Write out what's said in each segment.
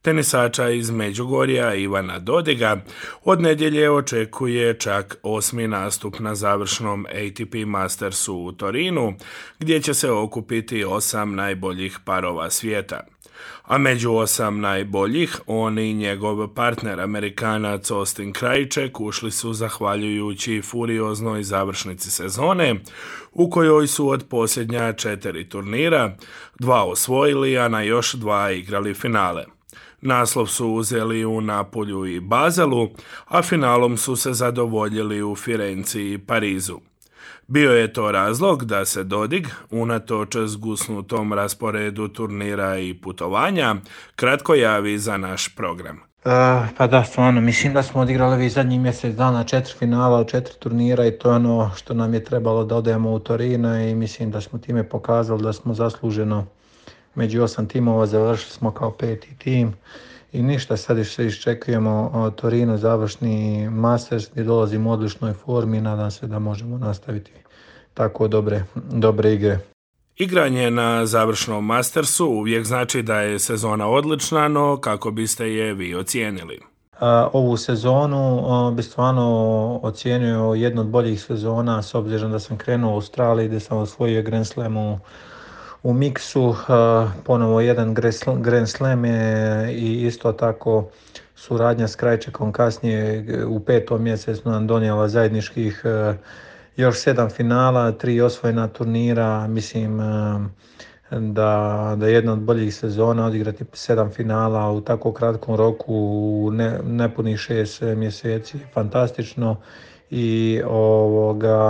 Tenisača iz Međugorja Ivana Dodiga od nedjelje očekuje čak 8. nastup na završnom ATP Mastersu u Torinu, gdje će se okupiti 8 najboljih parova svijeta. A među 8 najboljih on i njegov partner Amerikanac Austin Krajicek ušli su zahvaljujući furioznoj završnici sezone, u kojoj su od posljednja 4 turnira 2 osvojili, a na još 2 igrali finale. Naslov su uzeli u Napulju i Bazelu, a finalom su se zadovoljili u Firenci i Parizu. Bio je to razlog da se Dodig, unatoč zgusnutom rasporedu turnira i putovanja, kratko javi za naš program. Pa da, stvarno, mislim da smo odigrali ovih zadnjih mjesec dana 4 finala, 4 turnira i to je ono što nam je trebalo da odemo u Torino i mislim da smo time pokazali da smo zasluženo među 8 timova, završili smo kao 5. tim i ništa, sad se iščekujemo Torino, završni Masters gdje dolazimo u odličnoj formi i nadam se da možemo nastaviti tako dobre igre. Igranje na završnom Mastersu uvijek znači da je sezona odlična, no kako biste je vi ocijenili? Ovu sezonu bi stvarno ocijenio jednu od boljih sezona s obzirom da sam krenuo u Australiji gdje sam osvojio Grand Slam u miksu, ponovo jedan Grand Slam i isto tako suradnja s Krajčekom kasnije u 5. mjesecu nam donijela zajedničkih još 7 finala, 3 osvojena turnira. Mislim da jedna od boljih sezona odigrati 7 finala u tako kratkom roku u nepunih 6 mjeseci, fantastično i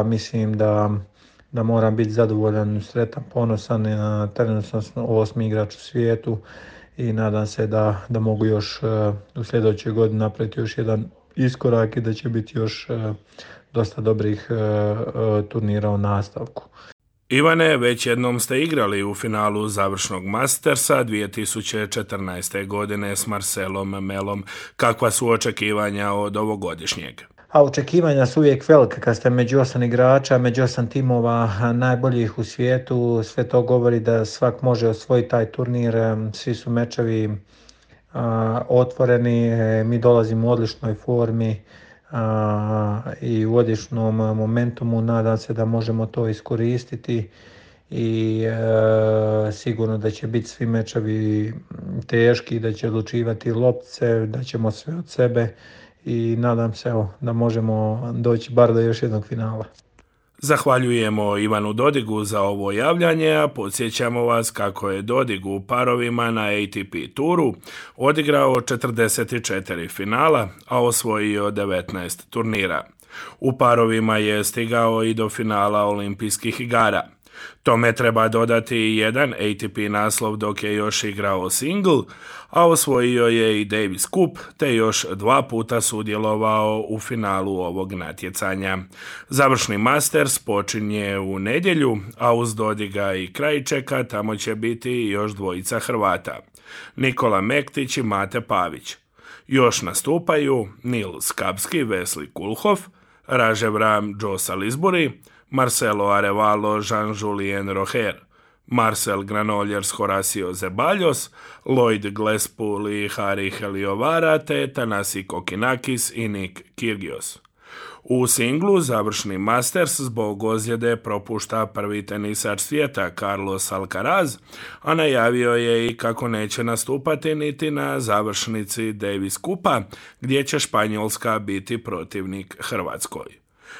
mislim da moram biti zadovoljan, sretan, ponosan. Trenutno sam 8. igrač u svijetu i nadam se da mogu još u sljedećoj godini napraviti još jedan iskorak i da će biti još dosta dobrih turnira u nastavku. Ivane, već jednom ste igrali u finalu završnog Mastersa 2014. godine s Marcelom Melom. Kakva su očekivanja od ovogodišnjeg? A očekivanja su uvijek velike kad ste među 8 igrača, među 8 timova najboljih u svijetu. Sve to govori da svak može osvojiti taj turnir. Svi su mečevi otvoreni, mi dolazimo u odličnoj formi i u odličnom momentumu. Nadam se da možemo to iskoristiti i sigurno da će biti svi mečevi teški, da će odlučivati loptice, da ćemo sve od sebe i nadam se da možemo doći bar do još jednog finala. Zahvaljujemo Ivanu Dodigu za ovo javljanje, a podsjećamo vas kako je Dodig u parovima na ATP turu odigrao 44 finala, a osvojio 19 turnira. U parovima je stigao i do finala olimpijskih igara. Tome treba dodati jedan ATP naslov dok je još igrao single, a osvojio je i Davis Cup, te još 2 puta sudjelovao u finalu ovog natjecanja. Završni Masters počinje u nedjelju, a uz Dodiga i Krajčeka tamo će biti još 2 Hrvata, Nikola Mektić i Mate Pavić. Još nastupaju Nil Skapski, Wesley Kulhoff, Rajev Ram, Joe Salisbury, Marcelo Arevalo, Jean-Julien Rojer, Marcel Granollers, Horacio Zeballos, Lloyd Glespul i Hari Heliovara, te Thanasi Kokinakis i Nick Kyrgios. U singlu završni Masters zbog ozljede propušta prvi tenisač svijeta Carlos Alcaraz, a najavio je i kako neće nastupati niti na završnici Davis Cupa, gdje će Španjolska biti protivnik Hrvatskoj.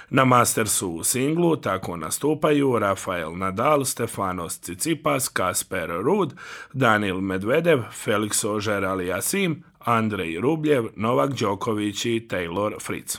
Na Mastersu u singlu tako nastupaju Rafael Nadal, Stefanos Tsitsipas, Kasper Ruud, Daniil Medvedev, Felix Auger-Aliassime, Andrej Rublev, Novak Đoković i Taylor Fritz.